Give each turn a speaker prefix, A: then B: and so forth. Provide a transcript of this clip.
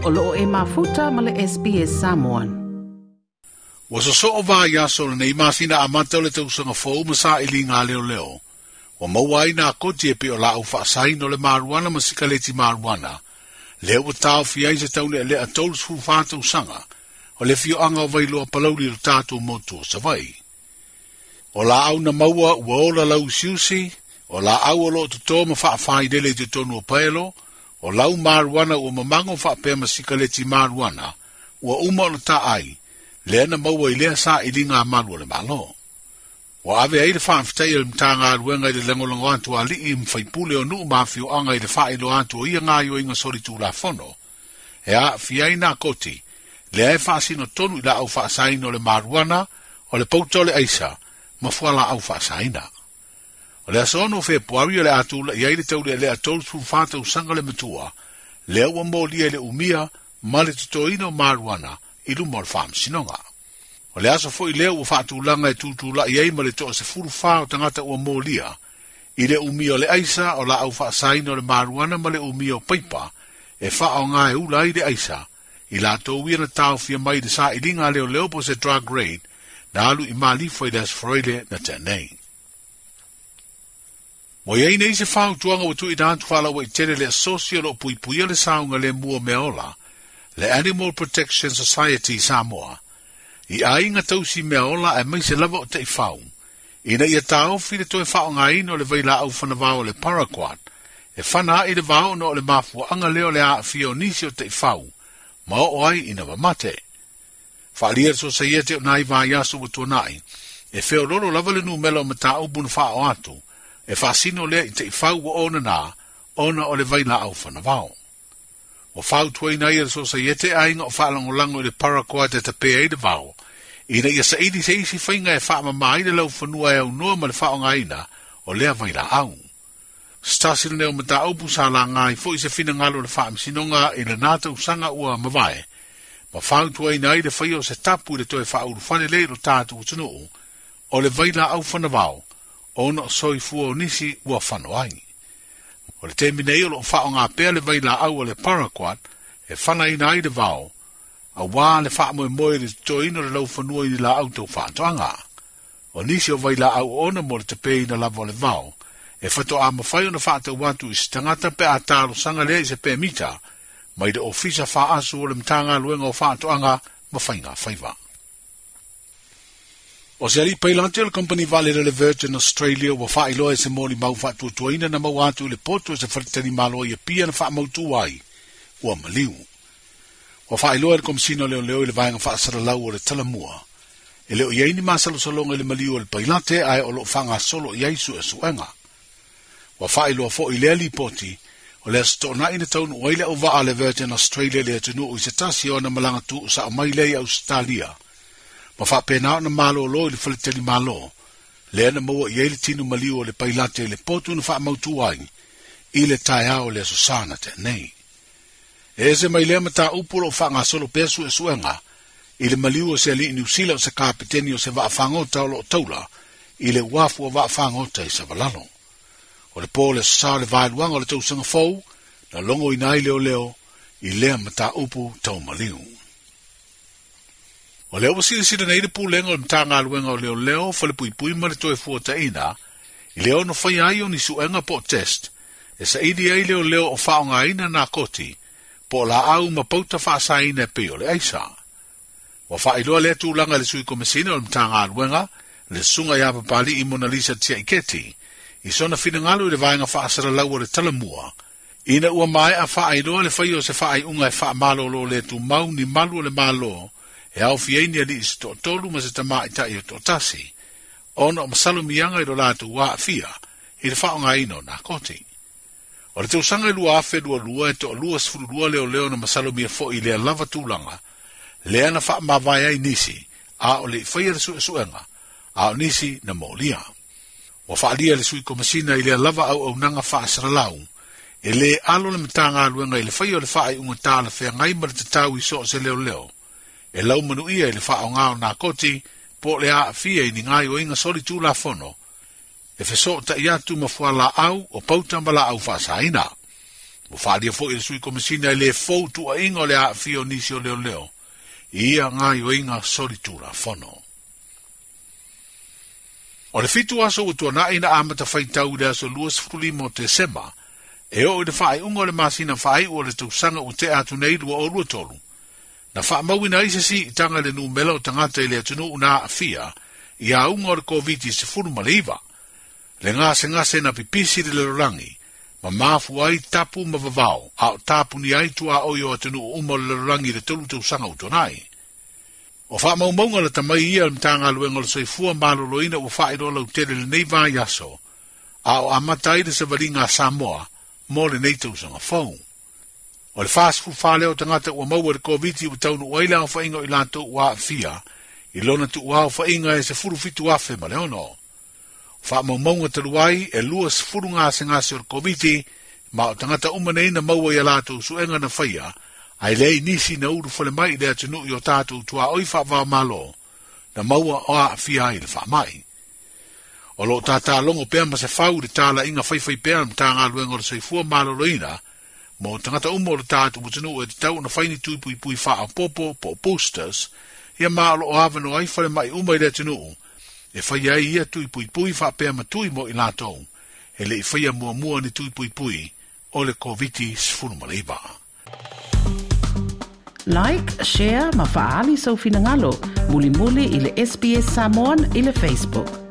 A: O loo e mafuta ma le SBS Samoan.
B: Ua sosoo vaiaso o lenei masina amata o le tausaga fou ma sailiga a leoleo. Ua maua ai nakoti e pei o laau faasaina o le maruana ma sikaleti maruana. Lea ua taofia ai se taulealea 34 tausaga o le afioaga o Vailoa Palauli i lo tatou motu o Savaii. O laau na maua ua ola lauusiusi, o laau o loo toto ma faafailele i totonu o paelo, o lau maruana ua mamago faapea ma sikaleti maruana, ua uma ona taai, lea na maua i lea sailiga a malu o le Malo. Ua ave ai le faafetai a le Matagaluega i le lagolago atu a alii ma faipule o nuu ma afioaga i le faailoa atu o ia gaoioiga solitulafono, e aafia ai nakoti, lea e faasino tonu i laau faasaina o le maruana, o le pauta o le aisa, ma fualaau faasaina. O le aso 6 o Fepuari o le a tula'i ai le taulealea 34 tausaga le matua, lea ua molia i le umia ma le totoina o maruana i luma o le faamasinoga. O le aso foi lea ua faatulaga e tutula'i ai ma le toa 14 o tagata ua molia i le umia o le aisa o laau faasaina o le maruana ma le umia o paipa e faaoga e ula ai le aisa, i latou ia na taofia mai i le sailiga a leoleo po o se drug raid na alu i Malifa i le Aso Faraile na tea nei. Ua i ai nei se fautuaga ua tuuina atu faalauaitele le asosi o lo o puipuia le saogalemu o meaola, le Animal Protection Society Samoa, i aiga tausi meaola aemaise lava o taifau, ina ia taofi le toe faaaogaina o le vailaau fanavao o le paraquat, e fana ai le vao ona o le mafuaaga lea o le aafia o nisi o taifau, ma oo ai ina mamate. Faaalia e le Sosaiete o nai vaiaso ua tuanai, e feololo lava le numera o mataupu na faaoo atu, e faasino lea i taifau ua onana ona o le vailaau fanavao. Ua fautuaina ai e le Sosaiete aiga o faalagolago i le paraquat e tape ai le vao, ina ia saili se isi faiga e faamama ai le laufanua e aunoa ma le faaaogaina o lea vailaau. Se tasi lenei o mataupu sa laga ai foi se finagalo o le Faamasinoga i lena tausaga ua mavae, ma fautuaina ai le faia o se tapu i le toe faaulufale lea i lo tatou atunuu o le vailaau fanavao ona o soifua o nisi ua fano ai. O le taimi nei o lo o faaaoga pea le vailaau o le paraquat e fanaina ai le vao, aua le faamoemoe i le totoina o le laufanua i ni laau tau faatoaga. O nisi o vailaau oona mo le tapeina lava o le vao, e faatoa mafai ona faatau atu i se tagata pe a talosaga lea i se pemita mai le Ofisa Faaasu o le Matagaluega o Faatoaga ma Faiga Faiva. O se alii pailate o le kamupani vaalele o le Virgin Australia ua faailoa e se molimau faatuatuaina na maua atu i le potu e se faletalimalo i Apia na faamautu ai ua maliu. Ua faailoa e le Komesina o Leoleo i le Vaega Faasalalau o le Talamua, e le o i ai ni masalosaloga i le maliu o le pailate ae o lo o faagasolo i ai suesuega. Ua faailoa foi i lea lipoti, o le Aso Toonai na taunuu ai le auvaa a le Virgin Australia i le atunuu i se tasi o ana malaga tuusao mai lea i Ausetalia, ma faapena ona malolo i le faletalimalo, lea na maua i ai le tino maliu o le pailate i le potu na faamautu ai i le taeao o le Aso Sa na tea nei. E ese mai lea mataupu o lo o faagasolo pea suesuega i le maliu o se alii Niu Sila o se kapeteni o se vaafagota o lo o taula i le uafu o vaafagota i Savalalo. O le po o le Aso Sa o le vaeluaga o le tausaga fou na logoina ai leoleo i lea mataupu tau maliu. O lea ua silasila nei le Pulega o le Matagaluega o Leoleo, Falepuipui ma le Toefuataiga i le ono faia ai o ni suega po o test e saili ai leoleo o faaaogaina nakoti po o laau ma pauta faasaina e pei o le aisa. Ua faailoa lea tulaga e le Sui Komesina o le Matagaluega, le Susuga ia Papali'i Monalisa Tiaiketi, i sona finagalo i le vaega faasalalau o le Talamua, ina ua maea faailoa le faia o se faaiuga e faamalolo le tumau ni malu o le Malo e aofia ai ni alii se toatolu ma se tamaitai o toatasi, ona o masalomiaga i lo latou aafia i le faaaogaina o nakoti. O le tausaga e 2022 e toalua 12 leoleo na masalomia foi i lea lava tulaga, lea na faamavae ai nisi a o le i faia le suesuega, a o nisi na molia. Ua faaalia e le Sui Komesina i lea lava auaunaga faasalalau, e le alo le Matagaluega i le faia o le faaiuga talafeagai ma le tatau i so o se leoleo, e laumanuia i le faaaoga o nakoti po o le aafia i ni gaoioiga solitulafono, e fesootai atu ma fualaau o pauta ma laau faasaina. Ua faaalia foi e le Sui Komesina e le fou tuuaiga o le aafia o nisi o leoleo i ia gaoioiga solitulafono. O le 7 aso ua tuanai na amata faitau i le aso 25 o Tesema, e oo i le faaiuga o le masina faaiu o le tausaga ua tea atu nei 2023, na faamauina ai se siitaga i le numera o tagata i le atunuu na aafia i auga o le Koviti-19, le gasegase na pipisi le lalolagi, ma mafua ai tapu ma vavao, a o tapuni ai tuaoi o atunuu uma o le lalolagi i le 3 tausaga ua tuanai. O faamaumauga lata mai ia le Matagaluega o le Soifua Maloloina ua faailoa lautele lenei vaiaso, a o amata ai le savaliga a Samoa mo lenei tausaga fou. O le 44 lea o tagata ua maua i le Koviti ua taunuu ai le aofaiga o i latou ua aafia i lona tuuaofaiga e 17,006. O faamaumauga talu ai e 20 gasegase o le Koviti ma o tagata uma nei na maua i a latou suega na faia, ae leai nisi na ulufale mai i le atunuu i o tatou tuaoi faava-o-Malo na maua o aafia ai le faamai. O lo o tatalogo pea ma se fau i le talaiga faifaipea a le Matagaluega o le Soifua Maloloina mo tagata uma o le tatou atunuu e tatau ona fai ni tui puipui faaopoopo po o boosters, ia ma o lo o avanoa ai falemai uma i le atunuu e faia ai ia tui puipui faapea ma tui mo i latou e le i faia muamua ni tui puipui o le Koviti-19.
A: Like, share ma faaali sou finagalo mulimuli i le SBS Samoan i le Facebook.